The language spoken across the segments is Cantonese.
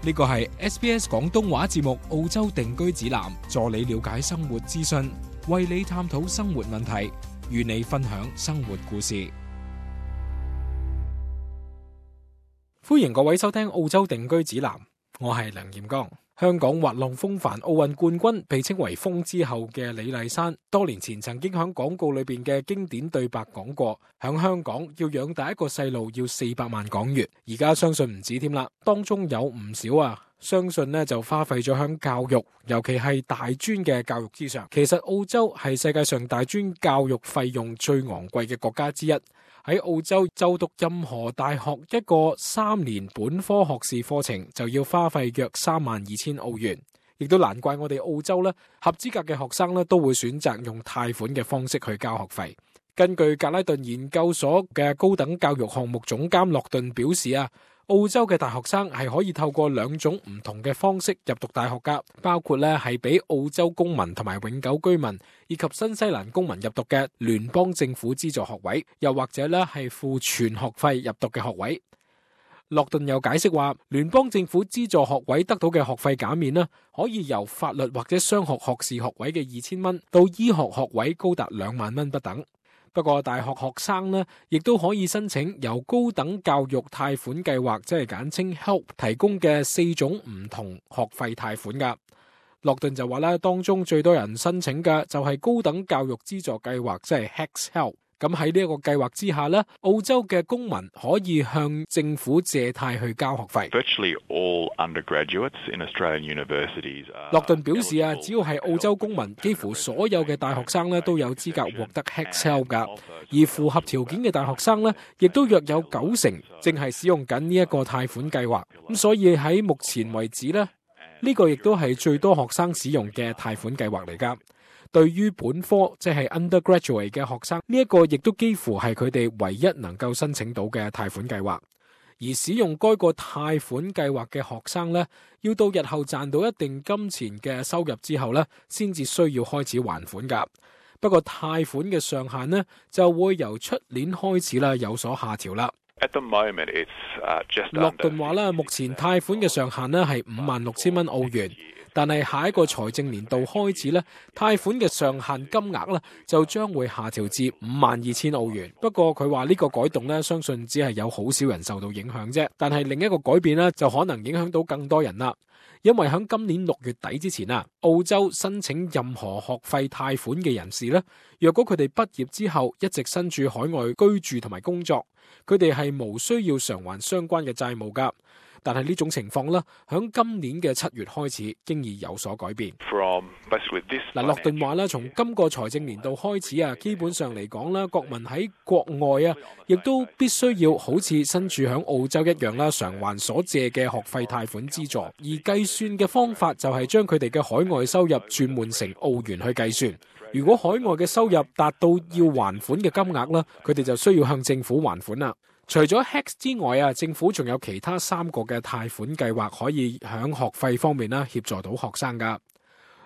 呢個係 SBS 廣東話節目澳洲定居指南，助你了解生活資訊，為你探討生活問題，與你分享生活故事。歡迎各位收聽澳洲定居指南，我係梁炎剛。香港滑浪風帆奧運冠軍，被稱為風之后嘅李麗珊，多年前曾經響廣告裏邊嘅經典對白講過，響香港要養大一個細路要400萬港元，而家相信唔止添啦，當中有唔少相信呢就花費咗響教育，尤其係大專嘅教育之上。其實澳洲係世界上大專教育費用最昂貴嘅國家之一。喺澳洲就讀任何大學一個3年本科學士課程就要花費約32,000澳元，亦都難怪我哋澳洲合資格嘅學生都會選擇用貸款嘅方式去交學費。根據格拉頓研究所嘅高等教育項目總監洛頓表示澳洲嘅大學生係可以透過2種唔同嘅方式入讀大學噶，包括係俾澳洲公民同埋永久居民以及新西蘭公民入讀嘅聯邦政府資助學位，又或者係付全學費入讀嘅學位。洛頓又解釋話，聯邦政府資助學位得到嘅學費減免可以由法律或者商學學士學位嘅2,000蚊到醫學學位高達2萬蚊不等。不過大學學生亦都可以申請由高等教育貸款計劃，即係簡稱 HELP 提供嘅4種唔同學費貸款噶。洛頓就話當中最多人申請嘅就係高等教育資助計劃，即係 HECS-HELP。咁喺呢一個計劃之下澳洲嘅公民可以向政府借貸去交學費。洛頓表示只要係澳洲公民，幾乎所有嘅大學生都有資格獲得 HECS-HELP 噶，而符合條件嘅大學生亦都約有90%正係使用緊呢一個貸款計劃。咁所以喺目前為止呢個亦都係最多學生使用嘅貸款計劃嚟噶。對於本科即係 undergraduate 嘅學生，呢一個亦都幾乎係佢哋唯一能夠申請到嘅貸款計劃。而使用該個貸款計劃嘅學生要到日後賺到一定金錢嘅收入之後先至需要開始還款噶。不過貸款嘅上限就會由出年開始有所下調啦。洛頓話目前貸款嘅上限係56,000蚊澳元。但係下一個財政年度開始貸款嘅上限金額就將會下調至52,000澳元。不過佢話呢個改動相信只係有好少人受到影響啫。但係另一個改變就可能影響到更多人啦。因為喺今年6月底之前澳洲申請任何學費貸款嘅人士若果佢哋畢業之後一直身處海外居住同埋工作，佢哋係無需要償還相關嘅債務噶。但係呢種情況響今年嘅7月開始經已有所改變。洛頓話從今個財政年度開始基本上嚟講國民喺國外亦都必須要好似身處響澳洲一樣償還所借嘅學費貸款資助，而計算嘅方法就係將佢哋嘅海外收入轉換成澳元去計算。如果海外嘅收入達到要還款嘅金額佢哋就需要向政府還款啦。除咗 HECS 之外政府仲有其他3個嘅貸款計劃可以響學費方面協助到學生噶。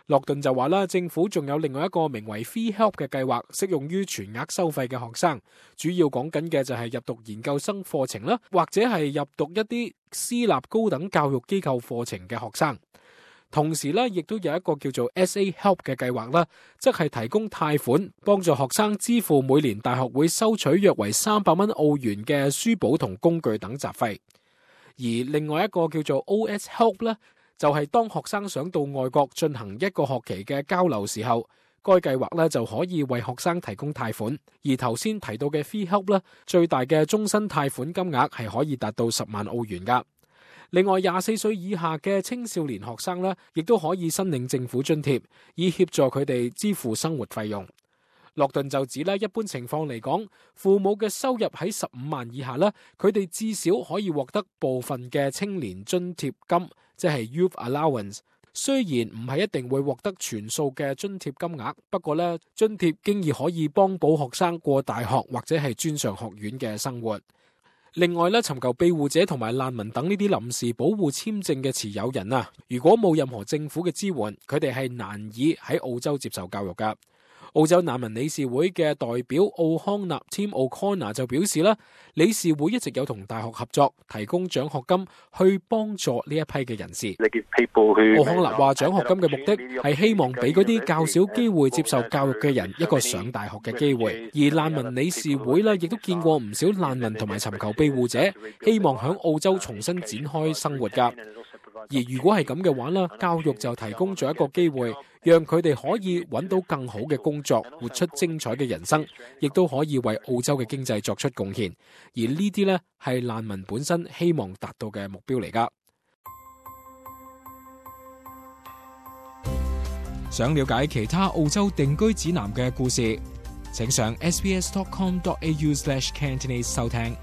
洛頓就話政府仲有另外一個名為 Free Help 嘅計劃，適用於全額收費嘅學生，主要講緊嘅就係入讀研究生課程啦，或者係入讀一啲私立高等教育機構課程嘅學生。同時亦都有一個叫做 SA Help 嘅計劃即係提供貸款幫助學生支付每年大學會收取約為300蚊澳元嘅書簿同工具等雜費。而另外一個叫做 OS Help 就係當學生想到外國進行一個學期嘅交流時候，該計劃就可以為學生提供貸款。而頭先提到嘅 Free Help 最大嘅終身貸款金額係可以達到10萬澳元噶。另外24歲以下嘅青少年學生亦都可以申領政府津貼，以協助佢哋支付生活費用。洛頓就指一般情況嚟講，父母嘅收入喺15萬以下佢哋至少可以獲得部分嘅青年津貼金，即係 Youth Allowance。雖然唔係一定會獲得全數嘅津貼金額，不過津貼經已可以幫補學生過大學或者係專上學院嘅生活。另外尋求庇護者同埋難民等呢啲臨時保護簽證嘅持有人如果冇任何政府嘅支援，佢哋係難以喺澳洲接受教育噶。澳洲難民理事會嘅代表奧康納 Tim O'Connor 就表示啦，理事會一直有同大學合作，提供獎學金去幫助呢一批嘅人士。奧康納話，獎學金嘅目的係希望俾嗰啲較少機會接受教育嘅人一個上大學嘅機會。而難民理事會亦都見過唔少難民同埋尋求庇護者，希望響澳洲重新展開生活㗎。而如果係咁嘅話，教育就提供咗一個機會，讓佢哋可以揾到更好嘅工作，活出精彩嘅人生，亦都可以為澳洲嘅經濟作出貢獻。而呢啲係難民本身希望達到嘅目標嚟㗎。想了解其他澳洲定居指南嘅故事，請上sbs.com.au/Cantonese 收聽。